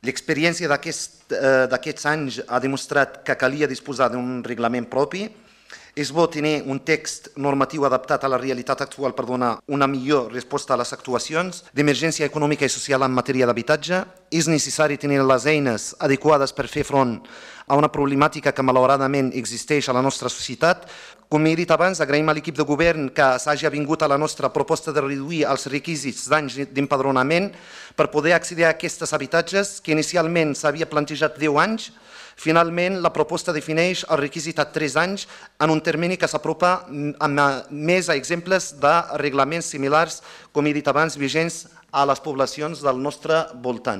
L'experiència d'aquests anys ha demostrat que calia disposar d'un reglament propi. És bo tenir un text normatiu adaptat a la realitat actual per donar una millor resposta a les actuacions d'emergència econòmica i social en matèria d'habitatge. És necessari tenir les eines adequades per fer front a una problemàtica que malauradament existeix a la nostra societat. Com he dit abans, agraïm a l'equip de govern que s'hagi avingut a la nostra proposta de reduir els requisits d'anys d'empadronament per poder accedir a aquests habitatges, que inicialment s'havia plantejat 10 anys. Finalment, la proposta defineix el requisit a 3 anys en un termini que s'apropa més a exemples de reglaments similars, com he dit abans, vigents a les poblacions del nostre voltant.